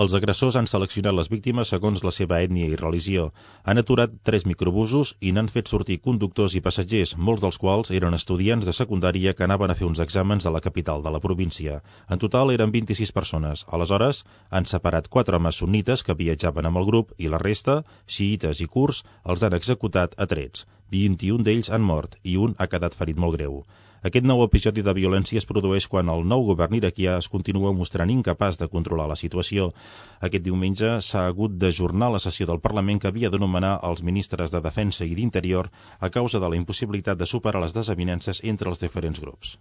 Els agressors han seleccionat les víctimes segons la seva ètnia i religió. Han aturat 3 microbusos i n'han fet sortir conductors i passatgers, molts dels quals eren estudiants de secundària que anaven a fer uns exàmens a la capital de la província. En total eren 26 persones. Aleshores, han separat 4 homes sunnites que viatjaven amb el grup i la resta, xiïtes i kurds, els han executat a trets. 21 d'ells han mort i un ha quedat ferit molt greu. Aquest nou episodi de violència es produeix quan el nou govern iraquià es continua mostrant incapaç de controlar la situació. Aquest diumenge s'ha hagut d'ajornar la sessió del Parlament que havia de nomenar els ministres de Defensa i d'Interior a causa de la impossibilitat de superar les desavinences entre els diferents grups.